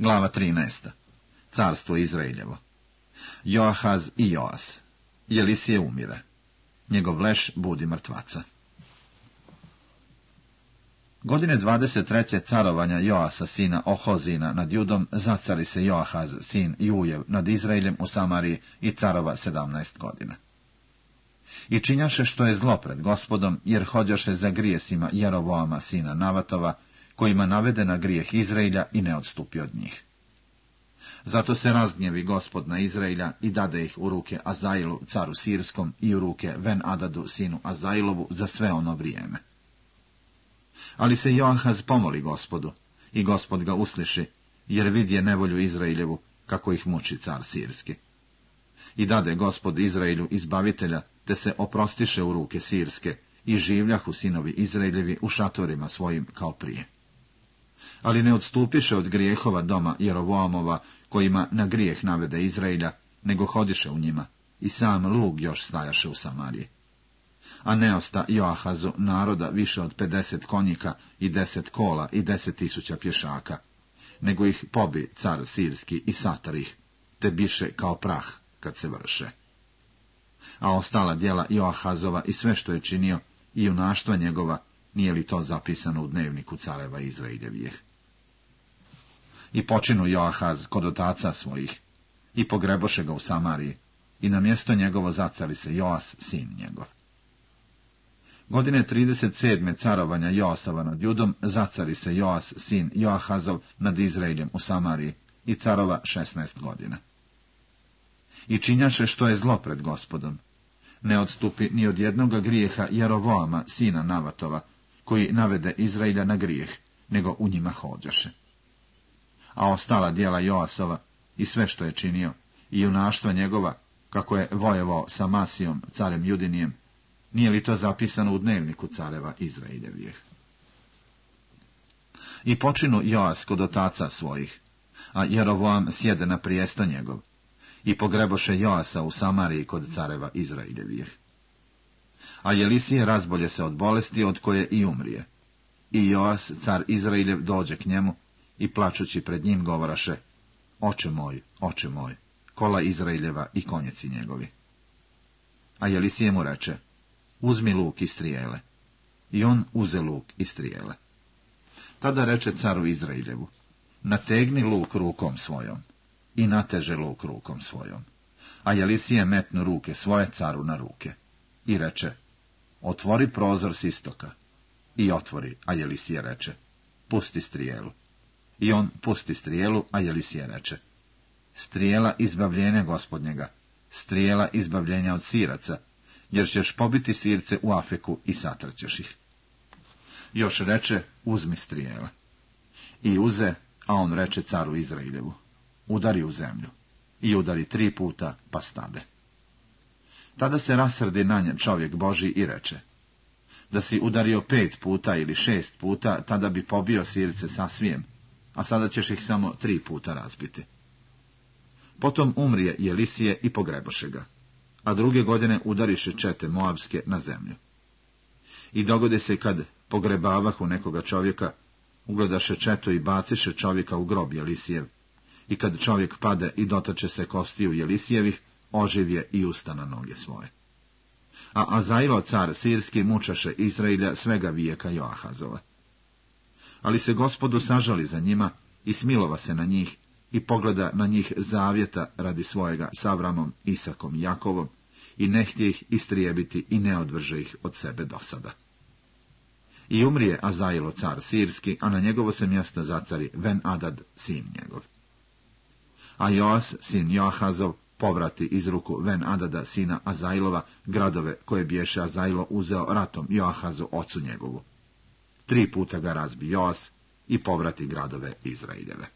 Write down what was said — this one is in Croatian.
Glava 13. Carstvo Izraeljevo. Joahaz i Joas. Jelisije umire. Njegov leš budi mrtvaca. Godine 23. carovanja Joasa, sina Ohozina, nad Judom, zacari se Joahaz, sin Jujev, nad Izraeljem u Samariji i carova 17 godina. I činjaše što je zlo pred Gospodom, jer hođaše za grijesima Jerovoama, sina Navatova, kojima navede na grijeh Izraelja i ne odstupi od njih. Zato se razgnjevi Gospod na Izraelja i dade ih u ruke Azailu, caru Sirskom, i u ruke Ben-Adadu, sinu Azailovu, za sve ono vrijeme. Ali se Joahaz pomoli Gospodu, i Gospod ga usliši, jer vidje nevolju Izraeljevu, kako ih muči car Sirski. I dade Gospod Izraelju izbavitelja, te se oprostiše u ruke Sirske, i življahu sinovi Izraeljevi u šatorima svojim kao prije. Ali ne odstupiše od grijehova doma Jerovoamova, kojima na grijeh navede Izraelja, nego hodiše u njima, i sam lug još stajaše u Samariji. A ne osta Joahazu naroda više od 50 konjika i 10 kola i 10.000 pješaka, nego ih pobi car Sirski i satar ih, te biše kao prah kad se vrše. A ostala djela Joahazova i sve što je činio, i junaštva njegova, nije li to zapisano u dnevniku careva Izraeljevijeh? I počinu Joahaz kod otaca svojih, i pogreboše ga u Samariji, i na mjesto njegovo zacari se Joas, sin njegov. Godine 37. carovanja Joasova nad Judom, zacari se Joas, sin Joahazov, nad Izraeljem u Samariji, i carova 16 godina. I činjaše što je zlo pred Gospodom. Ne odstupi ni od jednoga grijeha Jerovoama, sina Navatova, koji navede Izraelja na grijeh, nego u njima hođaše. A ostala djela Joasova i sve što je činio, i junaštva njegova, kako je vojevao sa Masijom, carem Judinijem, nije li to zapisano u dnevniku careva Izraeljevijeh? I počinu Joas kod otaca svojih, a Jerovoam sjede na prijesto njegov, i pogreboše Joasa u Samariji kod careva Izraeljevijeh. A Jelisije razbolje se od bolesti, od koje i umrije. I Joas, car Izraeljev, dođe k njemu, i plačući pred njim govoraše: oče moj, kola Izraeljeva i konjeci njegovi. A Jelisije mu reče: uzmi luk i strijele. I on uze luk i strijele. Tada reče caru Izraeljevu: nategni luk rukom svojom. I nateže luk rukom svojom. A Jelisije metnu ruke svoje caru na ruke. I reče: otvori prozor s istoka. I otvori, a Jelisije reče: pusti strijelu. I on pusti strijelu, a Jelisije reče: strijela izbavljenja Gospodnjega, strijela izbavljenja od Siraca, jer ćeš pobiti Sirce u Afeku i satrćeš ih. Još reče: uzmi strijela. I uze, a on reče caru Izraeljevu: udari u zemlju. I udari 3 puta, pa stade. Tada se rasrdi na nje čovjek Božji i reče: da si udario 5 puta ili 6 puta, tada bi pobio Sirce sasvijem, a sada ćeš ih samo 3 puta razbiti. Potom umrije Jelisije i pogreboše ga, a druge godine udariše čete Moabske na zemlju. I dogodi se kad pogrebavahu nekoga čovjeka, ugledaše četu i baciše čovjeka u grob Jelisijev, i kad čovjek pade i dotače se kostiju Jelisijevih, oživje i usta na noge svoje. A Azailo, car Sirski, mučaše Izraelja svega vijeka Joahazova. Ali se Gospodu sažali za njima i smilova se na njih, i pogleda na njih zavjeta radi svojega s Avramom, Isakom i Jakovom, i ne htje ih istrijebiti i ne odvrže ih od sebe do sada. I umrije Azailo, car Sirski, a na njegovo se mjesto zacari Ben-Adad, sin njegov. A Joas, sin Joahazov, povrati iz ruku Ben-Adada, sina Azailova, gradove koje biješe Azailo uzeo ratom Joahazu, ocu njegovu. 3 puta ga razbi Joas i povrati gradove Izraeljeve.